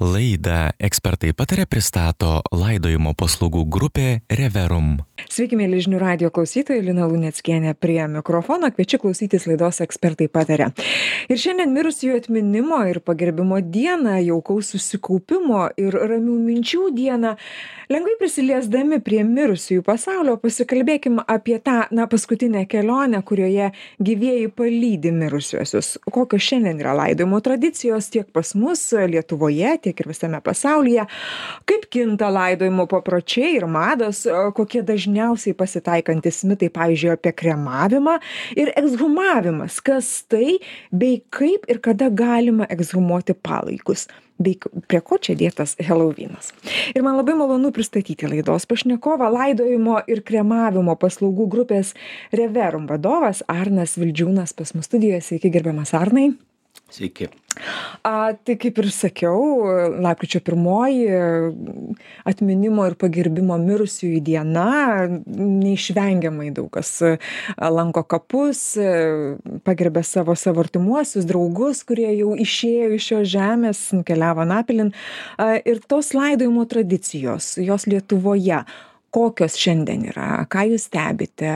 Laidą Ekspertai pataria pristato laidojimo paslaugų grupė Reverum. Sveiki, mėly žinių radijo klausytojai, Lina Luneckienė prie mikrofono, kviečiu klausytis laidos Ekspertai pataria. Ir šiandien mirusiųjų atminimo ir pagerbimo dieną, jaukaus susikaupimo ir ramių minčių dieną, lengvai prisiliesdami prie mirusiųjų pasaulio, pasikalbėkim apie tą, paskutinę kelionę, kurioje gyvieji palydi mirusiuosius. Kokios šiandien yra laidojimo tradicijos tiek pas mus Lietuvoje, tiek ir visame pasaulyje, kaip kinta laidojimo papročiai ir mados, kokie dažniausiai pasitaikantis mitai, pavyzdžiui, apie kremavimą ir ekshumavimas, kas tai, bei kaip ir kada galima ekshumuoti palaikus, bei prie ko čia dėtas Helovynas. Ir man labai malonu pristatyti laidos pašnekovą, laidojimo ir kremavimo paslaugų grupės Reverum vadovas Arnas Vildžiūnas pas mus studijoje. Sveiki, gerbiamas Arnai. Sveiki. Tai kaip ir sakiau, lapkričio 1 atminimo ir pagerbimo mirusiųjų diena, neišvengiamai daug kas lanko kapus, pagerbė savo artimuosius, draugus, kurie jau išėjo iš šios žemės, nukeliavo anapilin. Ir tos laidojimo tradicijos, jos Lietuvoje, kokios šiandien yra, ką jūs stebite,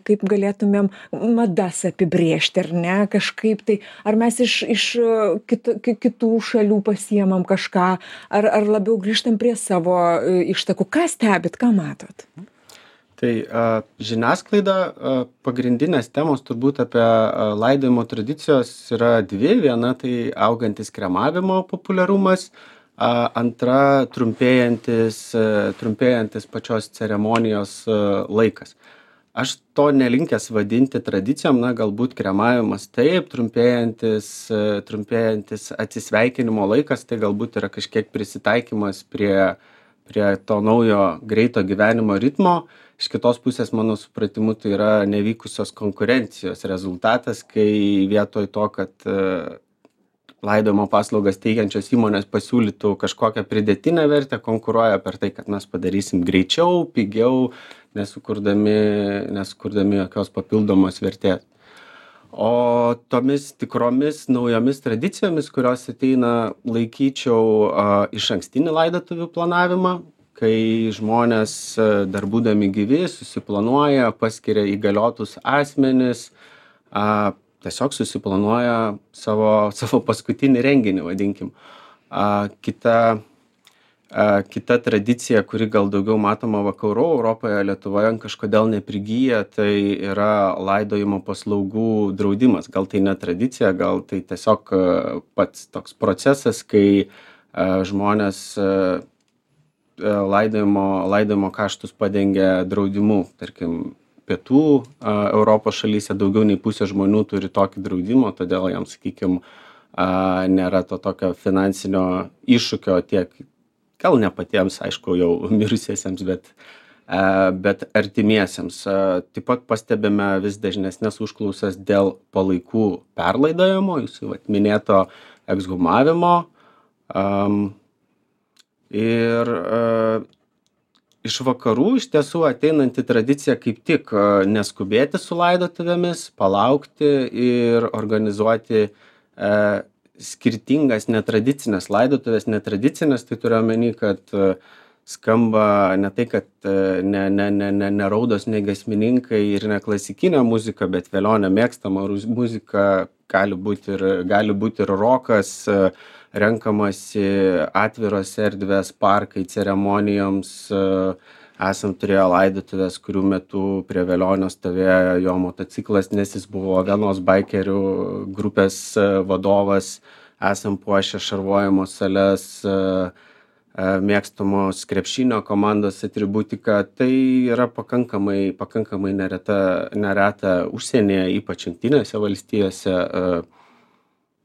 kaip galėtumėm madas apibrėžti, ar ne, kažkaip tai, ar mes iš kitų šalių pasiemam kažką, ar labiau grįžtam prie savo ištakų, ką stebit, ką matot? Tai žiniasklaida, pagrindinės temos turbūt apie laidojimo tradicijos yra dvi. Viena tai augantis kremavimo populiarumas, antra trumpėjantis pačios ceremonijos laikas. Aš to nelinkęs vadinti tradicijom, galbūt kremavimas taip, trumpėjantis atsisveikinimo laikas, tai galbūt yra kažkiek prisitaikymas prie to naujo greito gyvenimo ritmo. Iš kitos pusės, mano supratimu, tai yra nevykusios konkurencijos rezultatas, kai vietoj to, kad laidojimo paslaugas teikiančios įmonės pasiūlytų kažkokią pridėtinę vertę, konkuruoja per tai, kad mes padarysim greičiau, pigiau, nesukurdami jokios papildomos vertės. O tomis tikromis naujomis tradicijomis, kurios ateina, laikyčiau išankstinį laidotuvių planavimą, kai žmonės dar būdami gyvi susiplanuoja, paskiria įgaliotus asmenis, tiesiog susiplanuoja savo paskutinį renginį, vadinkim. Kita tradicija, kuri gal daugiau matoma vakarų Europoje, Lietuvoje kažkodėl neprigyja, tai yra laidojimo paslaugų draudimas. Gal tai ne tradicija, gal tai tiesiog pats toks procesas, kai žmonės laidojimo kaštus padengia draudimu, tarkim, pietų Europos šalyse daugiau nei pusė žmonių turi tokį draudimą, todėl jam, sakykime, nėra to tokio finansinio iššūkio tiek, gal ne patiems, aišku, jau mirusiesiems, bet artimiesiems. Taip pat pastebime vis dažnesnės užklausas dėl palaikų perlaidojimo, jūsų minėto ekshumavimo. Iš vakarų iš tiesų ateinanti tradicija kaip tik neskubėti su laidotuvėmis, palaukti ir organizuoti skirtingas netradicinės laidotuvės. Netradicinės, tai turiu omeny, kad skamba ne tai, kad ne raudos, ne giesmininkai ir ne klasikinė muzika, bet velionio mėgstama muzika, gali būti ir rokas, renkamasi atviros erdvės, parkai ceremonijoms. Esam turėję laidotuvės, kurių metu prie velionio stovėjo jo motociklas, nes jis buvo vienos baikerių grupės vadovas. Esam puošę šarvojimo sales, mėgstamos krepšinio komandos atributika. Tai yra pakankamai nereta užsienyje, ypač Jungtinėse valstijose.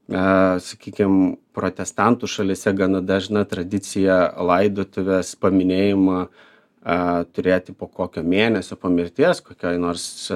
Sakykime, protestantų šalyse gana dažna tradicija laidotuvės paminėjimą turėti po kokio mėnesio po mirties, kokioj nors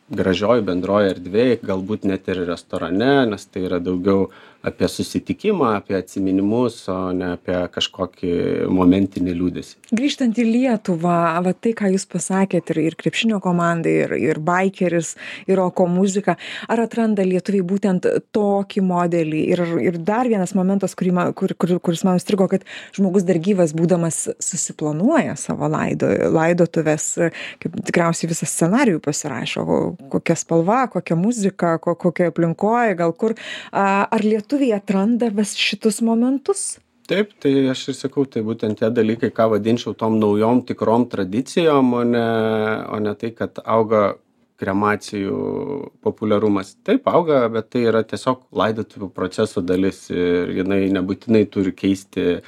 gražioj bendroje erdvėje, galbūt net ir restorane, nes tai yra daugiau apie susitikimą, apie atsiminimus, o ne apie kažkokį momentinį liūdesį. Grįžtant į Lietuvą, va tai, ką jūs pasakėt, ir krepšinio komandai, ir baikeris, ir roko muzika, ar atranda lietuviai būtent tokį modelį? Ir dar vienas momentas, kuris man įstrigo, kad žmogus dar gyvas būdamas susiplanuoja savo laidotuves, kaip tikriausiai visą scenarijų pasirašo, kokia spalva, kokia muzika, kokia aplinkoje, gal kur. Ar lietuviai atranda vis šitus momentus? Taip, tai aš ir sakau, tai būtent tie dalykai, ką vadinčiau tom naujom tikrom tradicijom, o ne tai, kad auga kremacijų populiarumas. Taip auga, bet tai yra tiesiog laidotuvių proceso dalis ir jinai nebūtinai turi keisti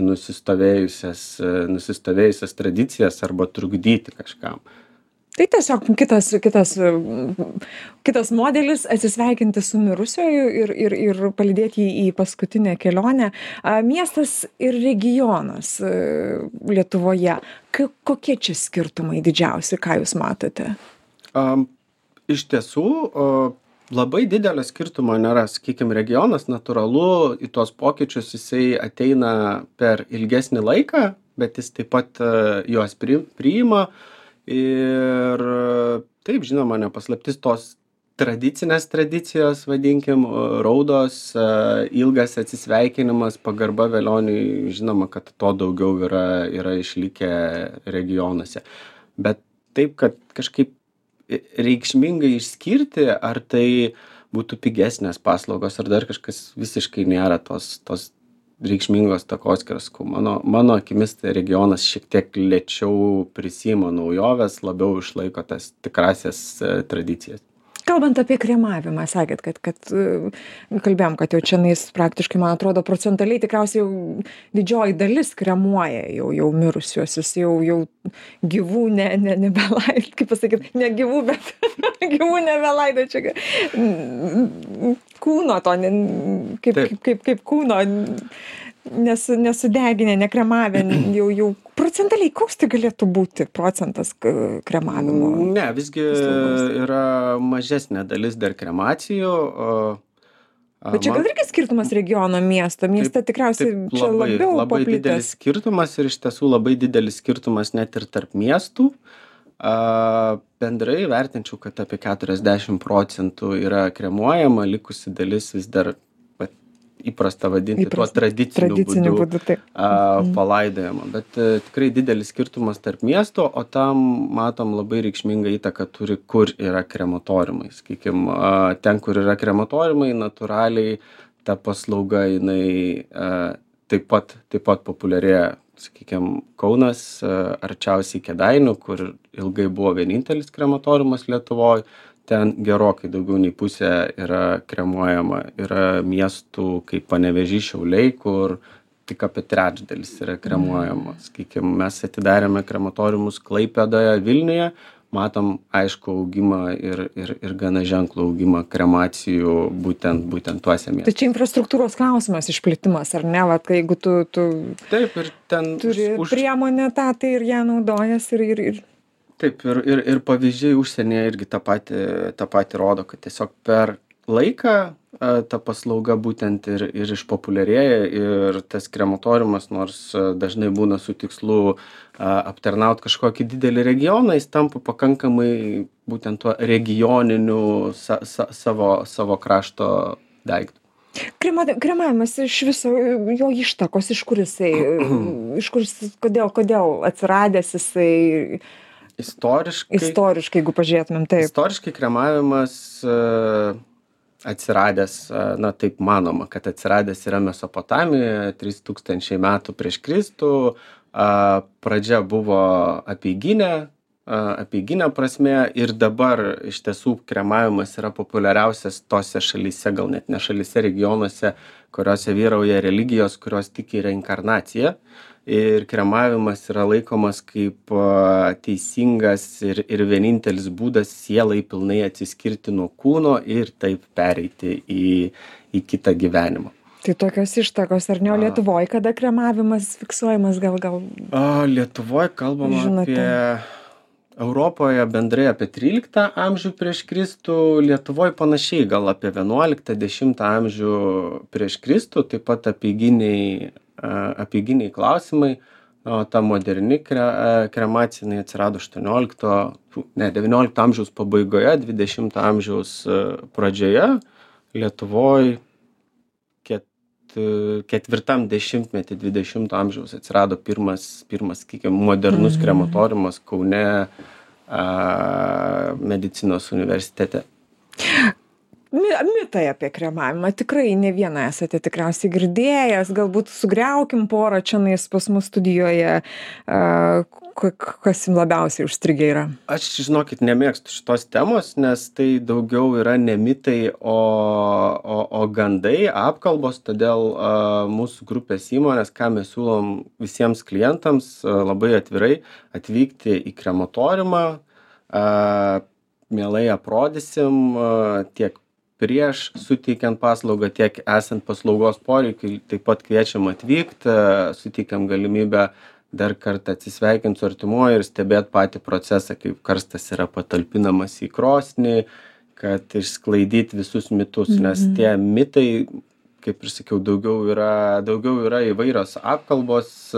nusistovėjusias tradicijas arba trukdyti kažkam. Tai tiesiog kitas modelis atsisveikinti su mirusiuoju ir palydėti jį į paskutinę kelionę. Miestas ir regionas Lietuvoje. Kokie čia skirtumai didžiausi, ką jūs matote? Iš tiesų, labai didelio skirtumo nėra. Sakykime, regionas natūralu į tuos pokyčius jisai ateina per ilgesnį laiką, bet jis taip pat juos priima. Ir taip, žinoma, nepaslaptis tos tradicinės tradicijos, vadinkim, raudos, ilgas atsisveikinimas, pagarba velioniui, žinoma, kad to daugiau yra išlikę regionuose. Bet taip, kad kažkaip reikšmingai išskirti, ar tai būtų pigesnės paslaugos, ar dar kažkas, visiškai nėra tos reikšmingos takoskyros. Mano akimis tai regionas šiek tiek lėčiau prisiima naujoves, labiau išlaiko tas tikrasias tradicijas. Kalbant apie kremavimą, sakėt, kad kalbėjom, kad jau čianais praktiškai, man atrodo, procentaliai tikriausiai jau didžioji dalis kremuoja jau mirusiuosius, jau gyvų nebelaido, kaip pasakyti, ne gyvų, bet gyvų nebelaido čia. Kūno to, kaip kūno nesudeginę, nekremavę, jau procentaliai, koks tai galėtų būti procentas kremavimo? Ne, visgi yra mažesnė dalis dar kremacijų. Bet čia gal irgi skirtumas regiono miesto? Mieste tikriausiai čia labiau paplitęs. Labai didelis skirtumas ir iš tiesų labai didelis skirtumas net ir tarp miestų. Bendrai vertinčiau, kad apie 40% yra kremuojama, likusi dalis vis dar įprasta vadinti tuo tradiciniu būdu palaidojama. Bet tikrai didelis skirtumas tarp miesto, o tam matom labai reikšmingą įtaką turi, kur yra krematoriumai. Sakykim, ten, kur yra krematoriumai, natūraliai ta paslauga jinai taip pat populiarėja. Sakykim, Kaunas arčiausiai Kėdainių, kur ilgai buvo vienintelis krematoriumas Lietuvoje. Ten gerokai daugiau nei pusė yra kremuojama. Yra miestų kaip Panevėžys, Šiauliai, kur tik apie trečdalis yra kremuojama. Sakykim, mes atidarėme krematoriumus Klaipėdoje, Vilniuje, matom aišku augimą ir gana ženklų augimą kremacijų būtent tuose miestuose. Tai čia infrastruktūros klausimas, išplitimas, ar ne? Vat, jeigu tu taip, ir ten turi priemonę tą, tai ir ją naudojas ir Taip, ir pavyzdžiai užsienyje irgi tą patį rodo, kad tiesiog per laiką ta paslauga būtent ir išpopuliarėja ir tas krematoriumas, nors dažnai būna su tikslu aptarnaut kažkokį didelį regioną, jis tampa pakankamai būtent tuo regioniniu savo krašto daiktų. Kremavimas iš viso, jo ištakos, iš kur jisai, kodėl atsiradęs jisai... Istoriškai, jeigu pažiūrėtumėm, taip. Istoriškai kremavimas atsiradęs, taip manoma, kad atsiradęs yra Mesopotamijoje 3000 metų prieš Kristų. Pradžia buvo apeiginė prasme ir dabar iš tiesų kremavimas yra populiariausias tose šalyse, gal net ne šalyse, regionuose, kuriuose vyrauja religijos, kurios tiki reinkarnaciją. Ir kremavimas yra laikomas kaip teisingas ir vienintelis būdas sielai pilnai atsiskirti nuo kūno ir taip pereiti į kitą gyvenimą. Tai tokios ištakos, ar ne? O Lietuvoje kada kremavimas fiksuojamas gal? Lietuvoje kalbama Europoje bendrai apie 13 amžių prieš Kristų, Lietuvoj panašiai, gal apie 11-10 amžių prieš Kristų, taip pat apeiginiai klausimai, o ta moderni kremacija jinai atsirado 19 amžiaus pabaigoje, 20 amžiaus pradžioje, Lietuvoj ketvirtam dešimtmety 20 amžiaus atsirado pirmas, sakykime, modernus krematoriumas Kaune medicinos universitete. Mitai apie kremavimą. Tikrai ne vieną esate tikriausiai girdėjęs. Galbūt sugriaukim porą čionais pas mus studijoje. Kas jums labiausiai užstrigę yra? Aš, žinokit, nemėgstu šitos temos, nes tai daugiau yra ne mitai, o gandai, apkalbos. Todėl mūsų grupės įmonės, ką mes siūlom visiems klientams, labai atvirai atvykti į krematoriumą. Mielai aprodysim tiek prieš suteikiant paslaugą, tiek esant paslaugos poreikiui. Taip pat kviečiam atvykti, suteikiam galimybę dar kartą atsisveikinti su artimuoju ir stebėti patį procesą, kaip karstas yra patalpinamas į krosnį, kad išsklaidyti visus mitus, nes tie mitai, kaip ir sakiau, daugiau yra įvairios apkalbos,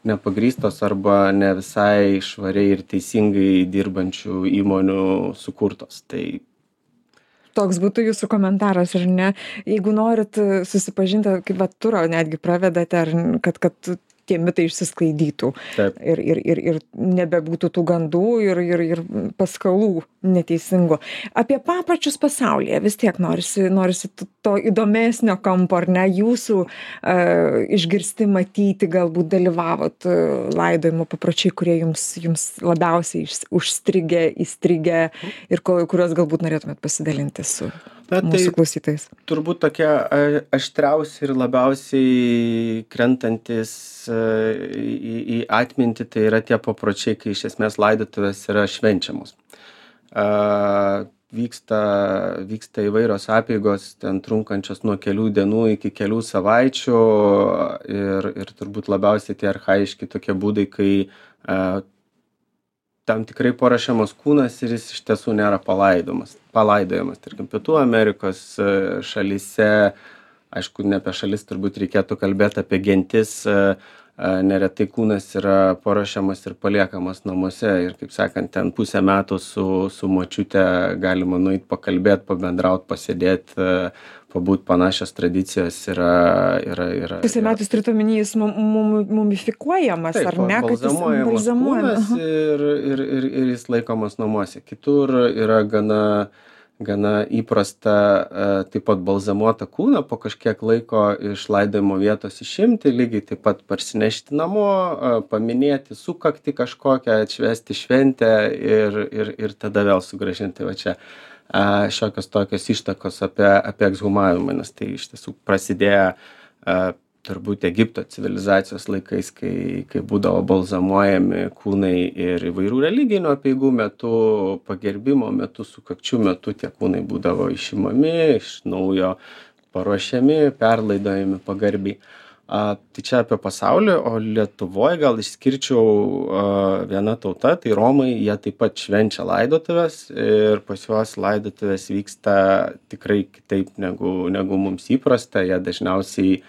nepagrįstos arba ne visai švariai ir teisingai dirbančių įmonių sukurtos. Tai toks būtų jūsų komentaras, ar ne? Jeigu norit susipažinti, kaip va turą netgi pravedate, ar kad tie mitai išsisklaidytų. Taip. Ir nebebūtų tų gandų ir paskalų neteisingų. Apie papročius pasaulyje vis tiek norisi to įdomesnio kampo, ar ne, jūsų išgirsti, matyti, galbūt dalyvavot laidojimo papročiai, kurie jums labiausiai užstrigę, įstrigę ir kuriuos galbūt norėtumėt pasidalinti su mūsų klausytojais. Turbūt tokie aštriausi ir labiausiai krentantis į atmintį, tai yra tie papročiai, kai iš esmės laidotuvės yra švenčiamos. Vyksta įvairios apeigos, ten trunkančios nuo kelių dienų iki kelių savaičių ir turbūt labiausiai tie archaiški tokie būdai, kai tam tikrai paruošiamas kūnas ir jis iš tiesų nėra palaidojamas. Tarkim, Pietų Amerikos šalyse, aišku, ne apie šalis turbūt reikėtų kalbėti, apie gentis, neretai kūnas yra paruošiamas ir paliekamas namuose ir, kaip sakant, ten pusę metų su močiute galima nueit pakalbėti, pabendrauti, pasėdėti, pabūt, panašios tradicijos yra. Pusę metų turite omeny, jis mumifikuojamas, taip, ar ne? Balzamuojamas kūnas ir jis laikomas namuose. Kitur yra gana įprasta taip pat balzamuotą kūną po kažkiek laiko iš laidojimo vietos išimti, lygiai taip pat parsinešti namo, paminėti sukaktį kažkokią, atšvęsti šventę ir tada vėl sugrąžinti. Va čia šiokios tokios ištakos apie ekshumavimą, nes tai iš tiesų prasidėjo turbūt Egipto civilizacijos laikais, kai būdavo balzamuojami kūnai ir įvairių religinių apeigų metu, pagerbimo metu, sukakčių metu tie kūnai būdavo išimami, iš naujo paruošiami, perlaidojami pagarbiai. Tai čia apie pasaulį, o Lietuvoje gal išskirčiau viena tauta, tai Romai, jie taip pat švenčia laidotuvės ir pas juos laidotuvės vyksta tikrai kitaip negu mums įprasta, jie dažniausiai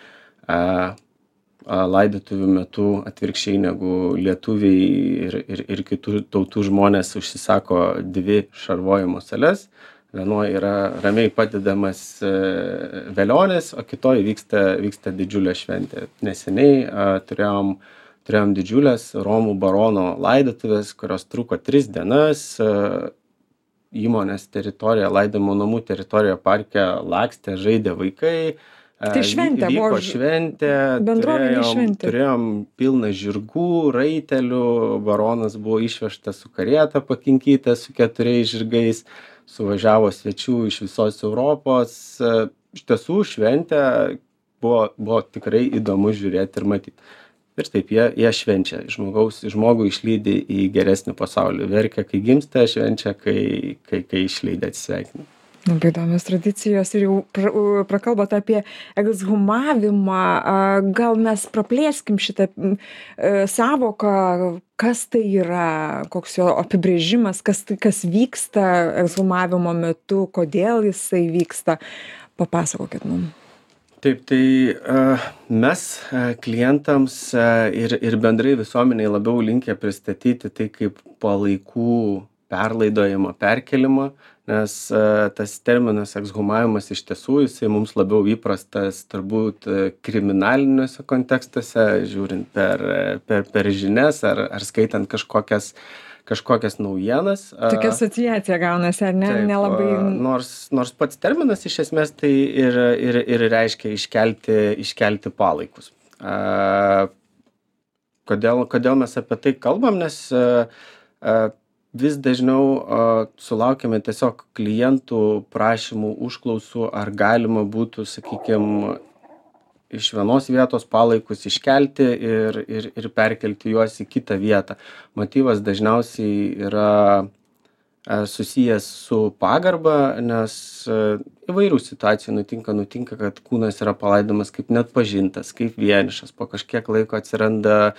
laidotuvių metu atvirkščiai negu lietuviai ir kitų tautų žmonės užsisako 2 šarvojimo sales. Vienoje yra ramiai padedamas velionis, o kitoje vyksta didžiulė šventė. Neseniai turėjom didžiulės Romų barono laidotuvės, kurios truko 3 dienas. Įmonės teritorija, laidojimo namų teritorija parke lakstė, žaidė vaikai. Tai šventė, vyko šventė, bendruomenė šventė. Turėjom pilną žirgų, raitelių, baronas buvo išvežtas su karieta pakinkyta su 4 žirgais, suvažiavo svečių iš visos Europos. Iš tiesų šventė buvo tikrai įdomu žiūrėti ir matyti. Ir taip jie švenčia, žmogų išlydi į geresnį pasaulį. Verkia, kai gimsta, švenčia, kai išlydi, atsisveikina. Labai įdomios tradicijos ir jau prakalbot apie ekshumavimą. Gal mes praplėskim šitą sąvoką, kas tai yra, koks jo apibrėžimas, kas vyksta ekshumavimo metu, kodėl jisai vyksta. Papasakokit mums. Taip, tai mes klientams ir bendrai visuomeniai labiau linkę pristatyti tai kaip palaikų perlaidojimą, perkelimą, nes tas terminas ekshumavimas iš tiesų jisai mums labiau įprastas turbūt kriminaliniuose kontekstuose, žiūrint per žinias ar skaitant kažkokias naujienas. Tokia asociacija gaunasi, ar ne? Taip, Nelabai. Nors pats terminas iš esmės tai ir reiškia iškelti palaikus. Kodėl mes apie tai kalbam, nes vis dažniau sulaukiame tiesiog klientų prašymų, užklausų, ar galima būtų, sakykime, iš vienos vietos palaikus iškelti ir perkelti juos į kitą vietą. Motyvas dažniausiai yra susijęs su pagarba, nes įvairių situacijų nutinka, kad kūnas yra palaidomas kaip neatpažintas, kaip vienišas, po kažkiek laiko atsiranda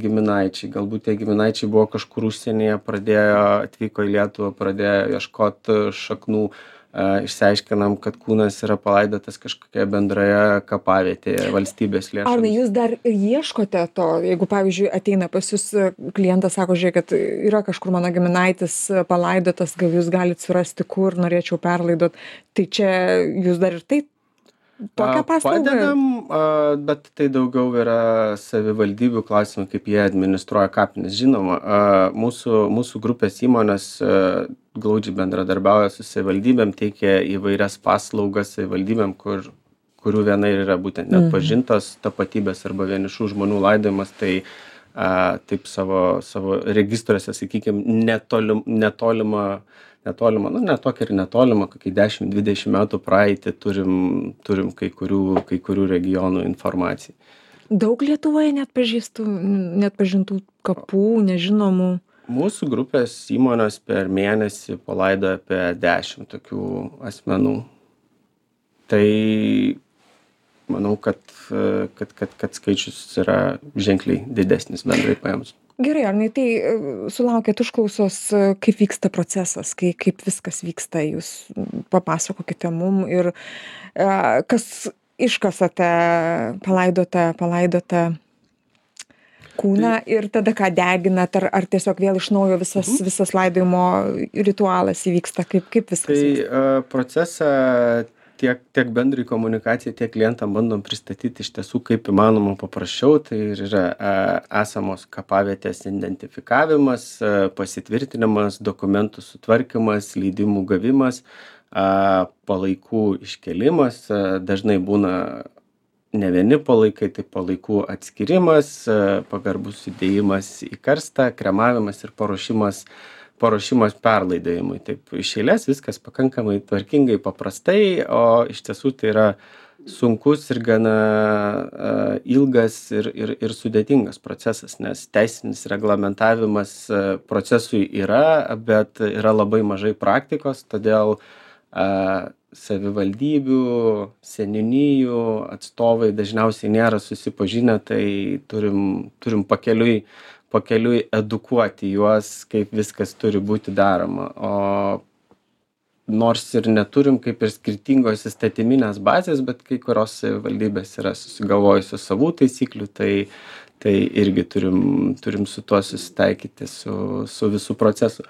giminaičiai, galbūt tie giminaičiai buvo kažkur užsienyje, atvyko į Lietuvą, pradėjo ieškoti šaknų, išsiaiškinam, kad kūnas yra palaidotas kažkokioje bendroje kapavietėje valstybės lėšomis. Arnai, jūs dar ieškote to, jeigu, pavyzdžiui, ateina pas jūs klientas, sako, žiūrėk, kad yra kažkur mano giminaitis palaidotas, gal jūs galite surasti, kur norėčiau perlaidot, tai čia jūs dar ir tai tokią paslaugą? Padedam, bet tai daugiau yra savivaldybių klausimai, kaip jie administruoja kapines. Žinoma, mūsų grupės įmonės glaudžiai bendradarbiauja su savivaldybėm, teikia įvairias paslaugas savivaldybėm, kurių viena ir yra būtent neatpažintos tapatybės arba vienišų žmonių laidojimas, tai taip savo registruose, sakykime, netolimą, ne tokia ir netolimą, kokį 10-20 metų praeitį turim kai kurių regionų informaciją. Daug Lietuvoje neatpažintų kapų, nežinomų? Mūsų grupės įmonės per mėnesį palaidoja apie 10 tokių asmenų. Tai manau, kad skaičius yra ženkliai didesnis bendrai paėmus. Gerai, Arnai, tai sulaukėt užklausos, kaip vyksta procesas, kaip viskas vyksta, jūs papasakokite mum ir kas iškasate palaidotą kūną ir tada ką deginat, ar tiesiog vėl iš naujo visas laidojimo ritualas įvyksta, kaip viskas vyksta? Tai procesą tiek bendrai komunikacijai, tiek klientam bandom pristatyti iš tiesų kaip įmanoma paprasčiau. Tai ir yra esamos kapavietės identifikavimas, pasitvirtinimas, dokumentų sutvarkymas, leidimų gavimas, palaikų iškėlimas. Dažnai būna ne vieni palaikai, tai palaikų atskirimas, pagarbus sudėjimas į karstą, kremavimas ir paruošimas perlaidojimui. Taip, iš eilės viskas pakankamai tvarkingai, paprastai, o iš tiesų tai yra sunkus ir gana ilgas ir sudėtingas procesas, nes teisinis reglamentavimas procesui yra, bet yra labai mažai praktikos, todėl savivaldybių, seniūnijų atstovai dažniausiai nėra susipažinę, tai turim pakeliui edukuoti juos, kaip viskas turi būti daroma. O nors ir neturim kaip ir skirtingos įstatyminės bazės, bet kai kurios savivaldybės yra susigalvojusios savų taisyklių, tai irgi turim su tuo susitaikyti su visų procesu.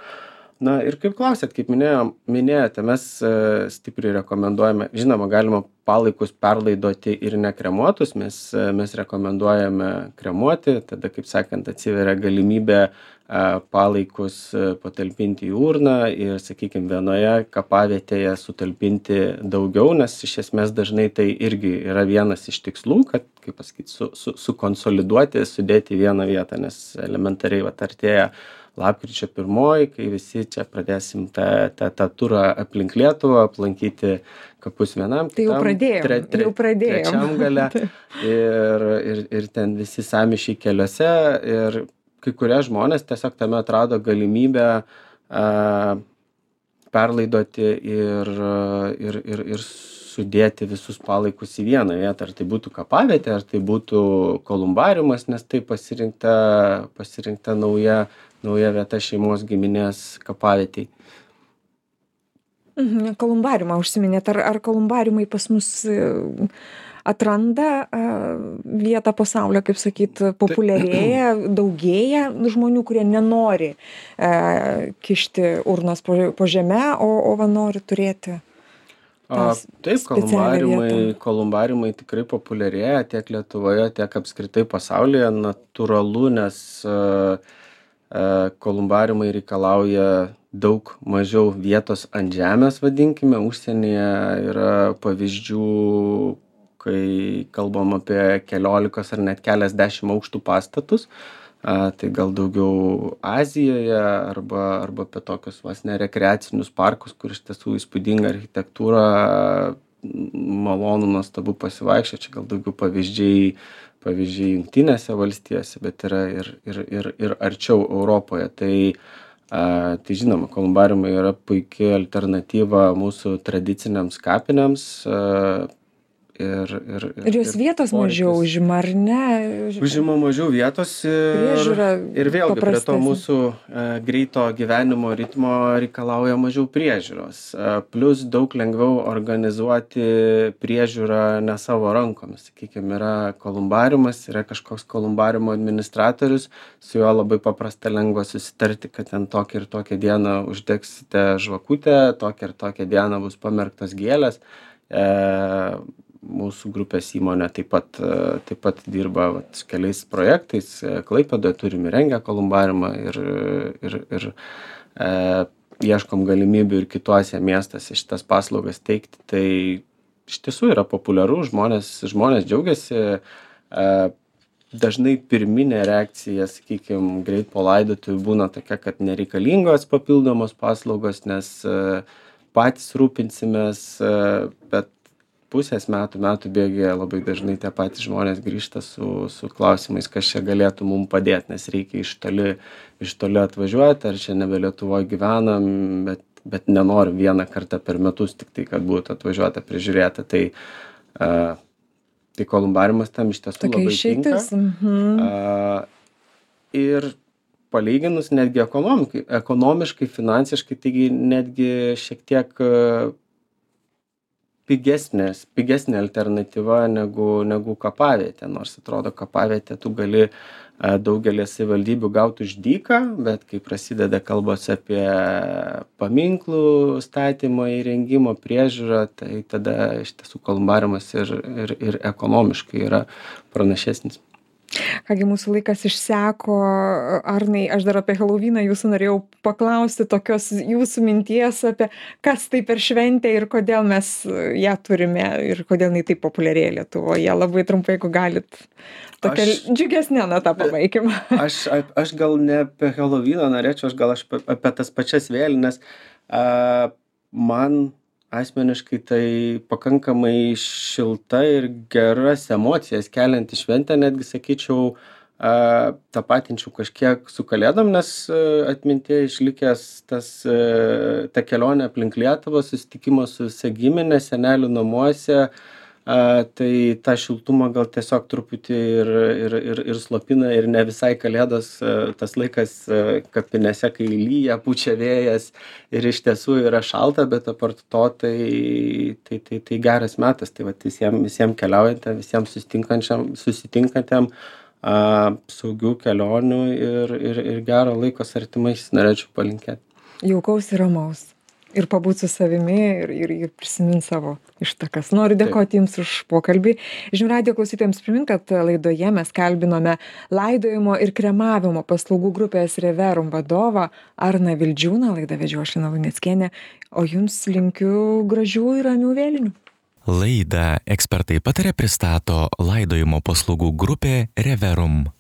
Na ir kaip klausėt, kaip minėjote, mes stipriai rekomenduojame, žinoma, galima palaikus perlaidoti ir nekremuotus, mes rekomenduojame kremuoti, tada, kaip sakant, atsiveria galimybė palaikus patalpinti į urną ir, sakykime, vienoje kapavietėje sutalpinti daugiau, nes iš esmės dažnai tai irgi yra vienas iš tikslų, kad, kaip pasakyti, sukonsoliduoti, sudėti į vieną vietą, nes elementariai artėja lapkričio 1, kai visi čia pradėsim tą turą aplink Lietuvą, aplankyti kapus vienam, tai jau pradėjom. Trečiam gale ir ten visi sąmyšiai keliuose ir kai kurie žmonės tiesiog tame atrado galimybę perlaidoti ir sudėti visus palaikus į vieną vietą. Ar tai būtų kapavietė, ar tai būtų kolumbariumas, nes tai pasirinkta nauja vieta šeimos giminės kapavietei. Kolumbariumą užsiminėt. Ar kolumbariumai pas mus atranda vietą po saule, kaip sakyt, populiarėja, daugėja žmonių, kurie nenori kišti urnos po žeme, o va nori turėti Taip, kolumbariumai tikrai populiarėja tiek Lietuvoje, tiek apskritai pasaulyje. Natūralu, nes kolumbariumai reikalauja daug mažiau vietos ant žemės, vadinkime. Užsienyje yra pavyzdžių, kai kalbam apie 15 ar net keliasdešimt aukštų pastatus. Tai gal daugiau Azijoje arba apie tokius vos ne rekreacinius parkus, kur iš tiesų įspūdinga architektūra, malonu, nuostabu pasivaikščioti. Čia gal daugiau pavyzdžiai Jungtinėse valstijose, bet yra ir arčiau Europoje. Tai žinoma, kolumbariumai yra puikia alternatyva mūsų tradiciniams kapinėms. Ir jos vietos mažiau užima, ar ne? Užima mažiau vietos ir vėlgi prie to mūsų greito gyvenimo ritmo reikalauja mažiau priežiūros. Plus daug lengviau organizuoti priežiūrą ne savo rankomis. Sakykime, yra kolumbariumas, yra kažkoks kolumbariumo administratorius, su juo labai paprasta lengva susitarti, kad ten tokią ir tokią dieną uždegsite žvakutę, tokią ir tokią dieną bus pamerktos gėlės. Mūsų grupės įmonė taip pat dirba su keliais projektais. Klaipėdoje turime įrengę kolumbariumą ir ieškom galimybių ir kituose miestuose šitas paslaugas teikti. Tai iš tiesų yra populiaru, žmonės džiaugiasi. Dažnai pirminė reakcija, sakykime, greit po laidotuvių būna tokia, kad nereikalingos papildomos paslaugos, nes patys rūpinsimės, bet pusės metų bėgyje labai dažnai tie patys žmonės grįžta su klausimais, kas čia galėtų mums padėti, nes reikia iš toli atvažiuoti, ar čia nebe Lietuvoje gyvenam, bet nenorim vieną kartą per metus tik tai, kad būtų atvažiuota prižiūrėta. Tai kolumbariumas tam iš tiesų labai tinka. Ir palyginus netgi ekonomiškai, finansiškai, taigi netgi šiek tiek pigesnė alternatyva negu kapavietė. Nors atrodo, kapavietę tu gali daugelį savivaldybių gauti už dyką, bet kai prasideda kalbos apie paminklų statymą, įrengimo, priežiūrą, tai tada iš tiesų kolumbariumas ir ekonomiškai yra pranašesnis. Kągi, mūsų laikas išseko. Arnai, aš dar apie Helovyną jūsų norėjau paklausti, tokios jūsų minties apie kas tai per šventę ir kodėl mes ją turime ir kodėl jinai taip populiarėja Lietuvoje. Labai trumpai, jeigu galit, tokia džiugesnė natą pabaikim. Aš gal ne apie Helovyną norėčiau, aš apie tas pačias vėlines. Man asmeniškai tai pakankamai šilta ir geras emocijas kelianti šventė, netgi sakyčiau, tapatinčiau kažkiek su Kalėdom, nes atmintyje išlikęs ta kelionė aplink Lietuvą, susitikimas su visa giminė, senelių namuose, tai tą šiltumą gal tiesiog truputį ir slopina ir ne visai Kalėdos tas laikas kapinėse, kai lyja, pučia vėjas ir iš tiesų yra šalta, bet apart to tai geras metas. Tai vat visiems keliaujantiem, visiems susitinkantiem saugių kelionių ir gero laiko su artimais norėčiau palinkėti. Jaukaus ir ramaus. Ir pabūt su savimi ir prisimint savo ištakas. Noriu dėkoti Jums už pokalbį. Žinių radijo klausytojams primint, kad laidoje mes kalbinome laidojimo ir kremavimo paslaugų grupės Reverum vadovą Arną Vildžiūną. Laidą vedžiau aš Lina Luneckienė, o Jums linkiu gražių ir ramių vėlinių. Laidą Ekspertai pataria pristato laidojimo paslaugų grupė Reverum.